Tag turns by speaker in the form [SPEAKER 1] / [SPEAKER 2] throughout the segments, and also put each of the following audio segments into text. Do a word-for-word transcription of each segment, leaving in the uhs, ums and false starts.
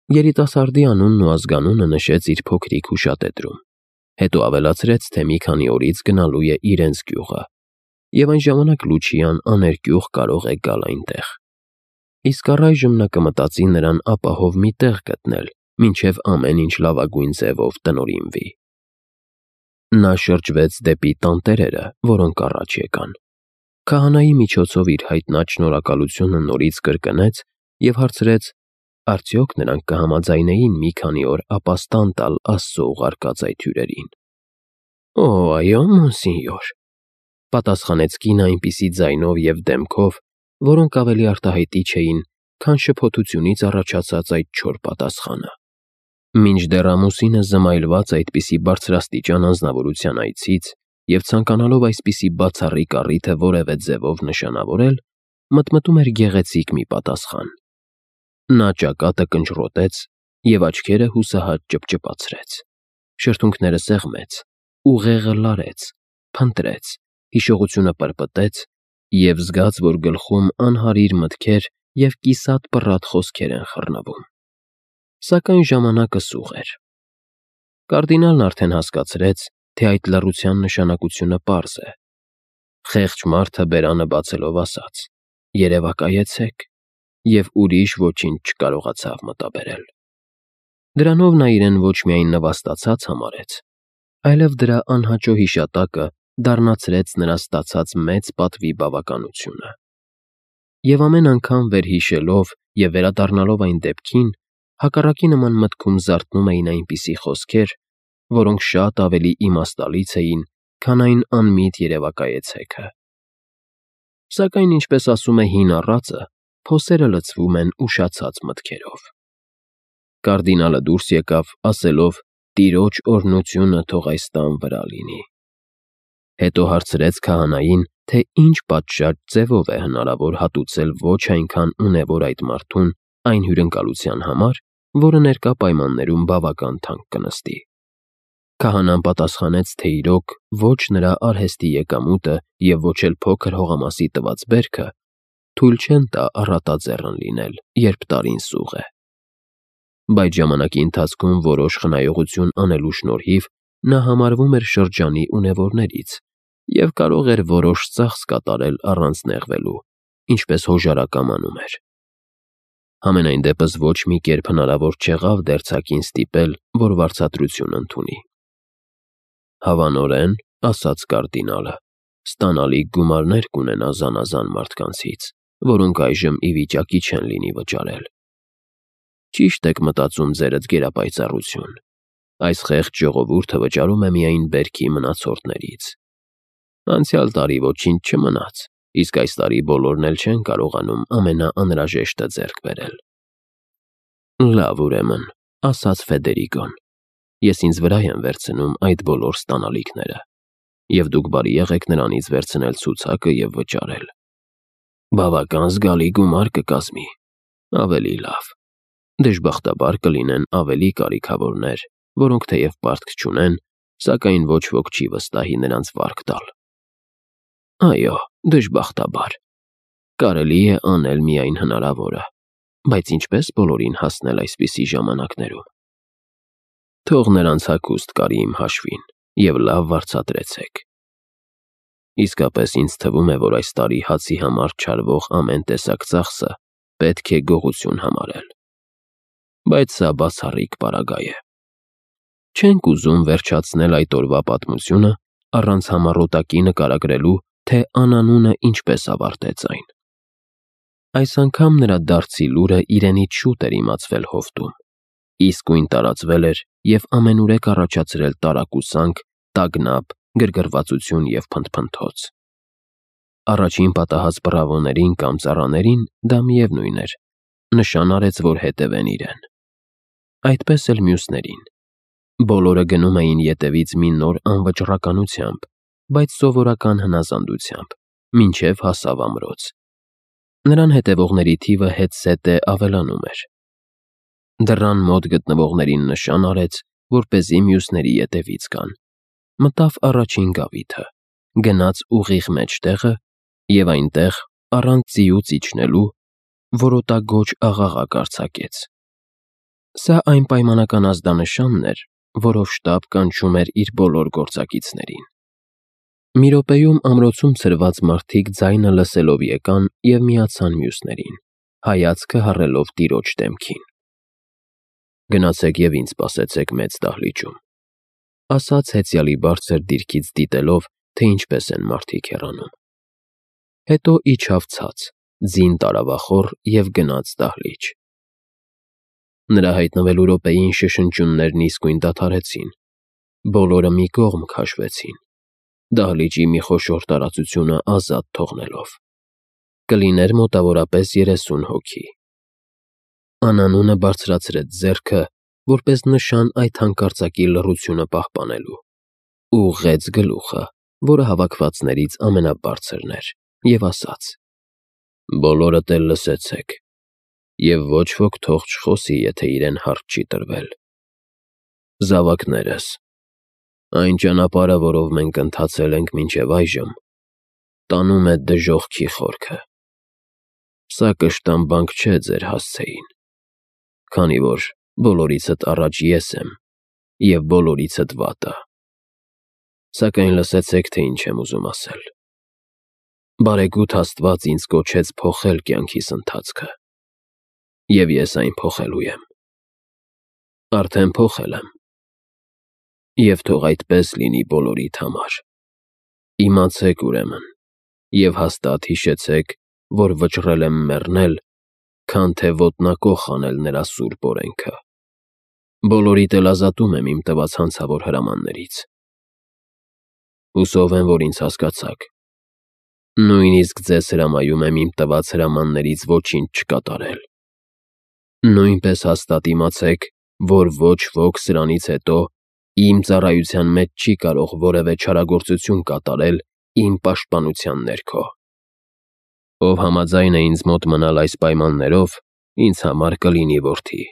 [SPEAKER 1] Երիտասարդի անունն ու ազգանունը նշեց իր փոքրիկ հուշատետրում, հետո ավելացրեց, թե մի քանի օրից գնալու է իրենց գյուղը, և այն ժամանակ Լուչիան աներկյուղ կարող է գալ այնտեղ։ Իսկ առայժմ նա կմտածի նրան ապահով մի տեղ գտնել, մինչև ամեն ինչ լավագույն ձևով տնօրինվի։ Նա շրջվեց դեպի տանտերերը, որոնք առաջ եկան։ Քահանայի միջոցով իր հայտնած շնորհակալությունը նորից կրկնեց և հարցրեց, արդյոք նրանք կհամաձայնեին մի քանի օր ապաստան տալ Աստծո ուղարկած այդ հյուրերին։ «Օ, այո, մոնսինյոր», պատասխանեց կինը այնպիսի ձայնով և դեմքով, որոնք ավելի արտահայտիչ էին, քան շփոթությունից առաջացած այդ չոր պատասխանը։ Մինչդեռ ամուսինը զմայլված այդպիսի բարձրաստիճան անձնավորության այցից և ցանկանալով այսպիսի բացառիկ առիթը որևէ ձևով նշանավորել, մտմտում էր գեղեցիկ մի պատասխան։ Նա ճակատը կնճռոտեց և աչքերը հուսահատ ճպճպացրեց, շրթունքները սեղմեց, ուղեղը լարեց, փնտրեց, հիշողությունը պրպտեց և զգաց, որ գլխում անհարիր մտքեր և կիսատ պռատ խոսքեր են խռնվում։ Սակայն ժամանակը սուղ էր։ Կարդինալն արդեն հասկացրեց, թե այդ լռության նշանակությունը պարզ է։ Խեղճ մարդը բերանը բացելով ասաց. «Երևակայեցեք», և ուրիշ ոչինչ չկարողացավ մտաբերել։ Դրանով նա իրեն ոչ միայն նվաստացած համարեց, այլև դրա անհաճո հիշատակը դառնացրեց նրա ստացած մեծ պատվի բավականությունը։ Եվ ամեն անգամ վերհիշելով և վերադառնալով այն դեպքին, հակառակի նման մտքում զարթնում էին այնպիսի խոսքեր, որոնք շատ ավելի իմաստալից էին, քան այն անմիտ երևակայեցեքը։ Սակայն, ինչպես ասում է հին առածը, փոսերը լցվում են ուշացած մտքերով։ Կարդինալը դուրս եկավ, ասելով. «Տիրոջ օրհնությունը թող այս տան վրա լինի»։ Հետո հարցրեց քահանային, թե ինչ պատշաճ ձևով է հնարավոր հատուցել ոչ այնքան ունևոր այդ մարդուն այն հյուրընկալության համար, որը ներկա պայմաններում բավական թանկ կնստի։ Քահանան պատասխանեց, թե իրոք ոչ նրա արհեստի եկամուտը և ոչ էլ փոքր հողամասի տված բերքը թույլ չեն տա առատաձեռն լինել, երբ տարին սուղ է։ Բայց ժամանակի ընթացքում որոշ խնայողություն անելու շնորհիվ նա համարվում էր շրջանի ունևորներից և կարող էր որոշ ծախս կատարել առանց նեղվելու, ինչպես հոժարակամ անում էր։ Համենայն դեպս ոչ մի կերպ հնարավոր չեղավ դերձակին ստիպել, որ վարձատրություն ընդունի։ «Հավանորեն, — ասաց կարդինալը, — ստանալիք գումարներ կունենա զանազան մարդկանցից, որոնք այժմ ի վիճակի չեն լինի վճարել։ Ճիշտ եք մտածում ձերդ գերապայծառություն. այս խեղճ ժողովուրդը վճարում է միայն բերքի մնացորդներից։ Անցյալ տարի ոչինչ չմնաց, իսկ այս տարի բոլորն էլ չեն կարողանում ամենաանհրաժեշտը ձեռք բերել»։ «Լավ, ուրեմն, — ասաց Ֆեդերիկոն, — ես ինձ վրա եմ վերցնում այդ բոլոր ստանալիքները, և դուք բարի եղեք նրանից վերցնել ցուցակը և վճարել։ Բավական զգալի գումար կկազմի։ Ավելի լավ. դժբախտաբար կլինեն ավելի կարիքավորներ, որոնք թեև պարտք չունեն, սակայն ոչ ոք չի վստահի նրանց վարկ տալ։ Այո, դժբախտաբար։ Կարելի է անել միայն հնարավորը, բայց ինչպե՞ս բոլորին հասնել այսպիսի ժամանակներում։ Թող նրանց հագուստ կարի իմ հաշվին և լավ վարձատրեցեք։ Իսկապես ինձ թվում է, որ այս տարի հացի համար չարվող ամեն տեսակ ծախսը պետք է գողություն համարել։ Բայց սա բացառիկ պարագա է։ Չենք ուզում վերջացնել այդ օրվա պատմությունը առանց համառոտակի նկարագրելու, թե անանունը ինչպես ավարտեց այն։ Այս անգամ նրա դարձի լուրը իրենից շուտ էր իմացվել հովտում, իսկույն տարածվել էր և ամենուրեք առաջացրել տարակուսանք, տագնապ, գրգռվածություն և փնթփնթոց։ Առաջին պատահած պռավոներին կամ ծառաներին դա միևնույն էր, նշան արեց, որ հետևեն իրեն։ Այդպես էլ մյուսներին։ Բոլորը գնում էին ետևից մի նոր անվճռականությամբ, բայց սովորական հնազանդությամբ, մինչև հասավ ամրոց։ Նրան հետևողների թիվը հետզհետե ավելանում էր։ Դռան մոտ գտնվողներին նշան արեց, որպեսզի մյուսների ետևից գան, մտավ առաջին գավիթը, գնաց ուղիղ մեջտեղը և այնտեղ, առանց ձիուց իջնելու, որոտագոչ աղաղակ արձակեց։ Սա այն պայմանական ազդանշանն էր, որով շտապ կանչում էր իր բոլոր գործակիցներին։ Մի րոպեում ամրոցում ցրված մարդիկ ձայնը լսելով եկան և միացան մյուսներին, հայացքը հառելով տիրոջ դեմքին։ «Գնացեք և ինձ սպասեցեք մեծ դահլիճում», ասաց հեծյալի բարձր դիրքից դիտելով, թե ինչպես են մարդիկ հեռանում։ Հետո իջավ ցած, ձին տարավախոր և գնաց դահլիճ։ Նրա հայտնվելու րոպեին շշնջյուններն իսկույն դադարեցին, բոլորը մի կողմ քաշվեցին, դահլիճի մի խոշոր տարածությունը ազատ թողնելով։ Կլիներ մոտավորապես երեսուն հոգի։ Անանունը բարձրացրեց ձեռքը, որպես նշան այդ հանկարծակի լռությունը պահպանելու, ուղղեց գլուխը, որը հավաքվածներից ամենաբարձրն էր, և ասաց. «Բոլորդ էլ լսեցեք, և ոչ ոք թող չխոսի, եթե իրեն հարց չի տրվել։ Զավակներս, այն ճանապարհը, որով մենք ընթացել ենք մինչև այժմ, տանում է դժոխքի խորքը։ Սա կշտամբանք չէ ձեր հասցեին, քանի որ բոլորիցդ առաջ ես եմ և բոլորիցդ վատը։ Սակայն լսեցեք, թե ինչ եմ ուզում ասել։ Բարեգութ Աստված ինձ կոչեց փոխել կյանքիս ընթացքը, և ես այն փոխելու եմ։ Արդեն փոխել եմ, և թող այդպես լինի բոլորիդ համար։ Իմացեք, ուրեմն, և հաստատ հիշեցեք, որ վճռել եմ մեռնել, քան թե ոտնակոխ անել նրա սուրբ օրենքը։ Բոլորիդ էլ ազատում եմ իմ տված հանցավոր հրամաններից։ Հուսով եմ, որ ինձ հասկացաք։ Նույնիսկ ձեզ հրամայում եմ իմ տված հրամաններից ոչինչ չկատարել։ Նույնպես հաստատ իմացեք, որ ոչ ոք սրանից հետո իմ ծառայության մեջ չի կարող որևէ չարագործություն կատարել իմ պաշտպանության ներքո։ Ով համաձայն է ինձ մոտ մնալ այս պայմաններով, ինձ համար կլինի որդի։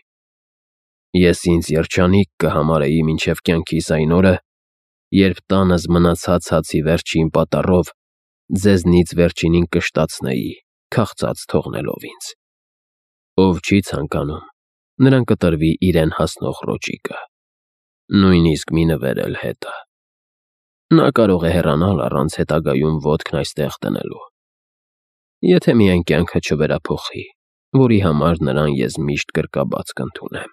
[SPEAKER 1] Ես ինձ երջանիկ կհամարեի մինչև կյանքիս այն օրը, երբ տանս մնացած հացի վերջին պատառով ձեզնից վերջինին կշտացնեի, քաղցած թողնելով ինձ։ Ով չի ցանկանում, նրան կտրվի իրեն հասնող ռոճիկը, նույնիսկ մի նվեր էլ հետը։ Նա կարող է հեռանալ առանց հետագայում ոտքն այստեղ դնելու, եթե միայն կյանքը չվերափոխի, որի համար նրան ես միշտ գրկաբաց կընդունեմ։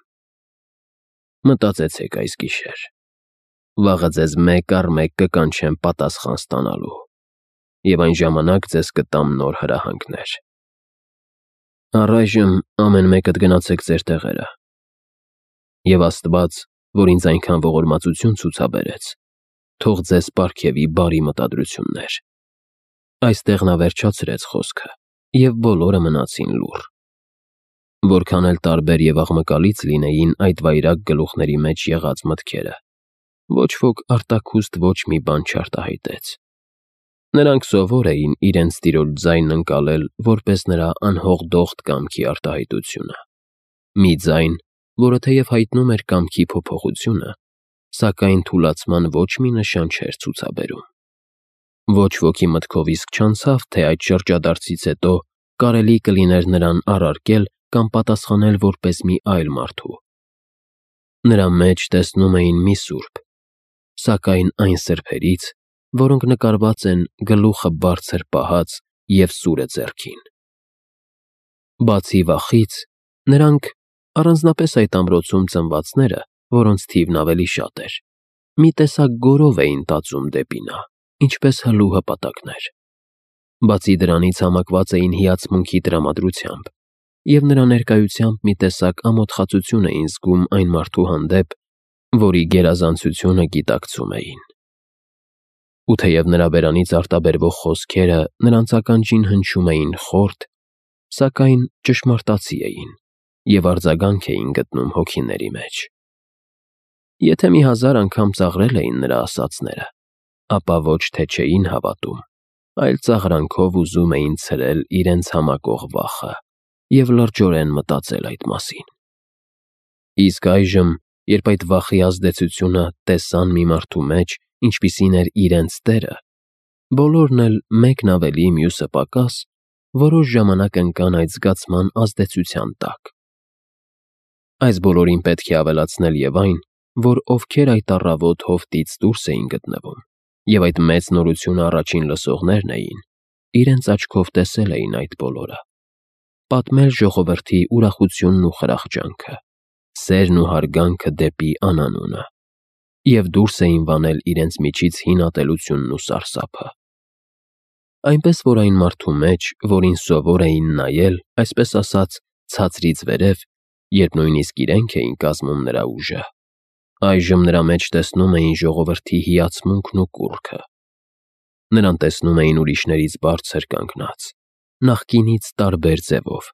[SPEAKER 1] Մտածեցեք այս գիշեր։ Վաղը ձեզ մեկ առ մեկ կկանչեմ պատասխան ստանալու, և այն ժամանակ ձեզ կտամ նոր հրահանգներ։ Առայժմ ամեն մեկդ գնացեք ձեր տեղերը։ Եվ Աստված, որ ինձ այնքան ողորմածություն ցուցաբերեց, թող ձեզ պարգևի բարի մտադրություններ։ Այստեղ նա վերջացրեց խոսքը, և բոլորը մնացին լուռ։ Որքան էլ տարբեր և աղմկալից լինեին այդ վայրագ գլուխների մեջ եղած մտքերը, ոչ ոք արտաքուստ ոչ մի բան չարտահայտեց։ Նրանք սովոր էին իրենց տիրոջ ձայնն ընկալել որպես նրա անհողդողդ կամքի արտահայտությունը։ Մի ձայն, որը թեև հայտնում էր կամքի փոփոխությունը, սակայն թուլացման ոչ մի նշան չէր ցուցաբերում։ Ոչ ոքի մտքով իսկ չանցավ, թե այդ շրջադարձից հետո կարելի կլիներ նրան առարկել կամ պատասխանել որպես մի այլ մարդու։ Նրա մեջ տեսնում էին մի սուրբ, սակայն այն սրբերից, որոնք նկարված են գլուխը բարձր պահած և սուրը ձեռքին։ Բացի վախից, նրանք, առանձնապես այդ ամրոցում ծնվածները, որոնց թիվն ավելի շատ էր, մի տեսակ գորով էին տածում դեպի նա, ինչպես հլու հպատակներ։ Բացի դրանից համակված էին հիացմունքի տրամադրությամբ, և նրա ներկայությամբ մի տեսակ ամոթխածություն էին զգում այն մարդու հանդեպ, որի գերազանցությունը գիտակցում էին։ Ու թեև նրա բերանից արտաբերվող խոսքերը նրանց ականջին հնչում էին խորթ, սակայն ճշմարտացի էին և արձագանք էին գտնում հոգիների մեջ։ Եթե մի հազար անգամ ծաղրել էին նրա ասածները, ապա ոչ թե չէին հավատում, այլ ծաղրանքով ուզում էին ցրել իրենց համակող վախը և լրջորեն մտածել այդ մասին։ Իսկ այժմ, երբ այդ վախի ազդեցությունը տեսան մի մարդու մեջ, ինչպիսին էր իրենց տերը, բոլորն էլ մեկն ավելի, մյուսը պակաս, որոշ ժամանակ ընկան այդ զգացման ազդեցության տակ։ Այս բոլորին պետք է ավելացնել եւ այն, որ ովքեր այդ առավոտ հովտից դուրս էին գտնվում, եւ այդ մեծ նորությունը առաջին լսողներն էին, իրենց աչքով տեսել էին այդ բոլորը, պատմել ժողովրդի ուրախությունն ու խրախճանքը, սերն ու հարգանքը դեպի անանունը, եւ դուրս էին վանել իրենց միջից հին ատելությունն ու սարսափը։ Այնպես որ այն մարդու մեջ, որին սովոր էին նայել, այսպես ասած, ցածրից վերև, երբ նույնիսկ իրենք էին կազմում նրա ուժը, այժմ նրա մեջ տեսնում էին ժողովրդի հիացմունքն ու կուռքը։ Նրան տեսնում էին ուրիշներից բարձր կանգնած, նախկինից տարբեր ձևով,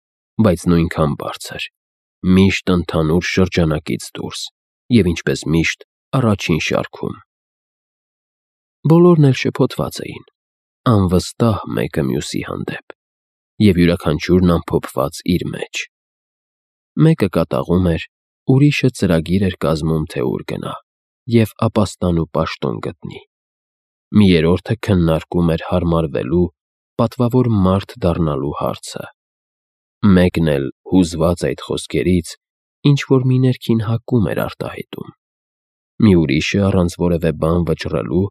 [SPEAKER 1] բայց նույնքան բարձր, միշտ ընդհանուր շրջանակից դուրս և ինչպես միշտ առաջին շարքում։ Բոլորն էլ շփոթված էին, անվստահ մեկը մյուսի հանդեպ և յուրաքանչյուրն ամփոփված իր մեջ։ Մեկը կատաղում էր, ուրիշը ծրագիր էր կազմում, թե ուր գնա և ապաստան ու պաշտոն գտնի։ Մի երրորդը քննարկում էր հարմարվելու, պատվավոր մարդ դառնալու հարցը։ Մեկն էլ, հուզված այդ խոսքերից, ինչ-որ մի ներքին հակում էր արտահայտում։ Մի ուրիշը, առանց որևէ բան վճռելու,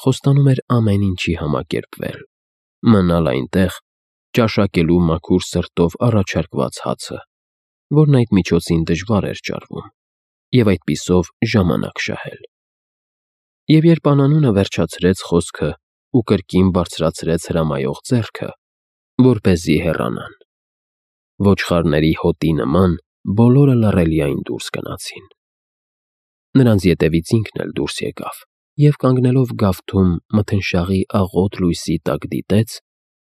[SPEAKER 1] խոստանում էր ամեն ինչի համակերպվել, մնալ այնտեղ, ճաշակելու մաքուր սրտով առաջարկված հացը, որն այդ միջոցին դժվար էր ճարվում, և այդպիսով ժամանակ շահել։ Եվ երբ անանունը վերջացրեց խոսքը ու կրկին բարձրացրեց հրամայող ձեռքը, որպեսզի հեռանան, ոչխարների հոտի նման բոլորը լռելիայն դուրս գնացին։ Նրանց ետևից ինքն էլ դուրս եկավ և կանգնելով գավթում մթնշաղի աղոտ լույսի տակ դիտեց,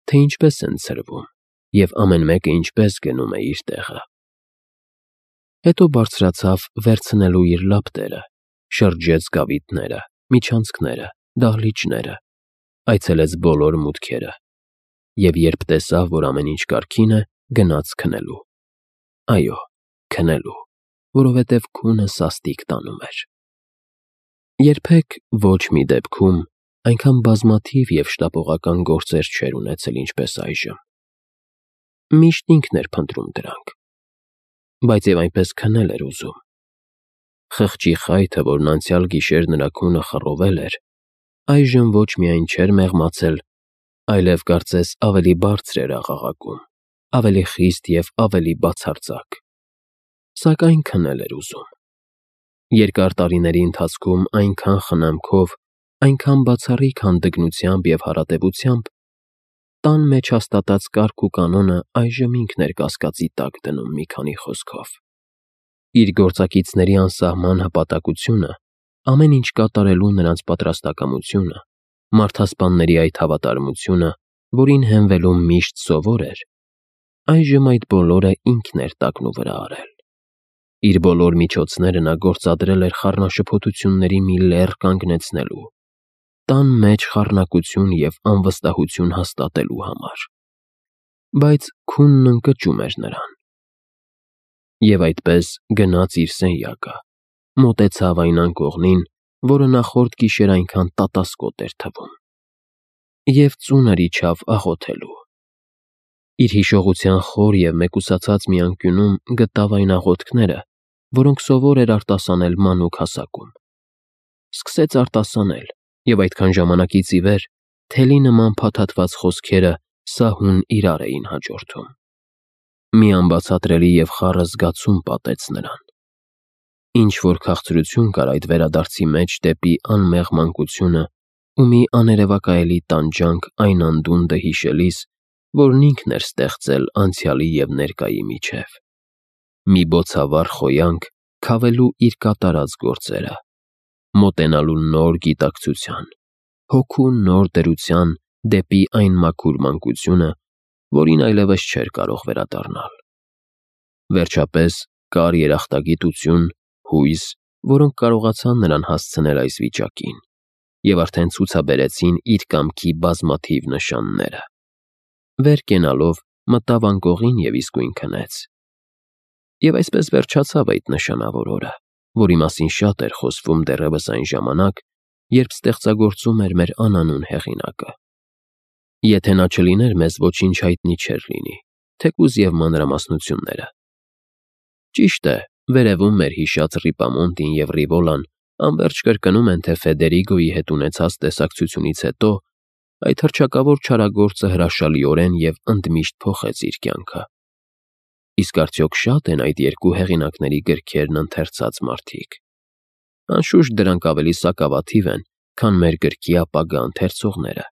[SPEAKER 1] թե ինչպես են ցրվում և ամեն մեկը ինչպես գնում է իր տեղը։ Հետո բարձրացավ վերցնելու իր լապտերը, շրջեց գավիթները, միջանցքները, դահլիճները, այցելեց բոլոր մուտքերը և երբ տեսավ, որ ամեն ինչ կարգին է, գնաց քնելու։ Այո, քնելու, որովհետև քունը սաստիկ տանում էր։ Երբեք ոչ մի դեպքում այնքան բազմաթիվ և շտապողական գործեր չէր ունեցել, ինչպես այժմ։ Միշտ ինքն էր փնտրում դրանք, բայց և այնպես քնել էր ուզում։ Խղճի խայթը, որն անցյալ գիշեր նրա քունը խռովել էր, այժմ ոչ միայն չէր մեղմացել, այլև կարծես ավելի բարձր էր աղաղակում, ավելի խիստ և ավելի բացարձակ։ Սակայն քնել էր ուզում։ Երկար տարիների ընթացքում այնքան խնամքով, այնքան բացառիկ հանդգնությամբ և հարատևությամբ, տան մեջ հաստատած կարգ ու կանոնը այժմ ինքն էր կասկածի տակ դնում մի քանի խոսքով։ Իր գործակիցների անսահման հպատակությունը, ամեն ինչ կատարելու նրանց պատրաստակամությունը, մարդասպանների այդ հավատարմությունը, որին հենվելու միշտ սովոր էր, այժմ այդ բոլորը ինքն էր տակնուվրա արել։ Իր բոլոր միջոցները նա գործադրել էր խառնաշփոթությունների մի լեռ կանգնեցնելու, տան մեջ խառնակություն և անվստահություն հաստատելու համար։ Բայց քունն ընկճում էր նրան։ Եվ այդպես գնաց իր սենյակը, մոտեցավ այն անկողնին, որը նախորդ գիշեր այնքան տատասկոտ էր թվում, և ծունր իջավ աղոթելու։ Իր հիշողության խոր և մեկուսացած մի անկյունում գտավ այն աղոթքները, որոնք սովոր էր արտասանել մանուկ հասակում։ Սկսեց արտասանել, և այդքան ժամանակից ի վեր թելի նման փաթաթված խոսքերը սահուն իրար էին հաջորդում։ Մի անբացատրելի և խառը զգացում պատեց նրան։ Ինչ-որ քաղցրություն կար այդ վերադարձի մեջ դեպի անմեղ մանկությունը ու մի աներևակայելի տանջանք այն անդունդը հիշելիս, որն ինքն էր ստեղծել անցյալի և ներկայի միջև։ Մի բոցավառ խոյանք քավելու իր կատարած գործերը, մոտենալու նոր գիտակցության, հոգու նոր դրության դեպի այն մաքուր մանկությունը, որին այլևս չէր կարող վերադառնալ։ Վերջապես կար երախտագիտություն, հույս, որոնք կարողացան նրան հասցնել այս վիճակին և արդեն ցուցաբերեցին իր կամքի բազմաթիվ նշանները։ Վեր կենալով մտավ անկողին և իսկույն քնեց։ Եվ այսպես վերջացավ այդ նշանավոր օրը, որի մասին շատ էր խոսվում դեռևս այն ժամանակ, երբ ստեղծագործում էր մեր անանուն հեղինակը։ Եթե նա չլիներ, մեզ ոչինչ հայտնի չէր լինի, թեկուզ և մանրամասնությունները։ Ճիշտ է, Վերևում մեր հիշած Ռիպամոնտին և Ռիվոլան անվերջ կրկնում են, թե Ֆեդերիգոյի հետ ունեցած տեսակցությունից հետո այդ հռչակավոր չարագործը հրաշալիորեն և ընդմիշտ փոխեց իր կյանքը։ Իսկ արդյոք շա՞տ են այդ երկու հեղինակների գրքերն ընթերցած մարդիկ։ Անշուշտ դրանք ավելի սակավաթիվ են, քան մեր գրքի ապագա ընթերցողները։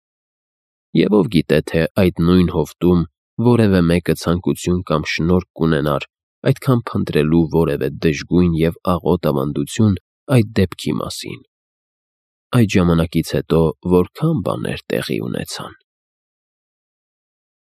[SPEAKER 1] Եվ ով գիտե, թե այդ նույն հովտում որևէ մեկը ցանկություն կամ շնորհք կունենար այդքան փնտրելու որևէ դժգույն և աղոտ ավանդություն այդ դեպքի մասին։ Այդ ժամանակից հետո որքա՜ն բաներ տեղի ունեցան։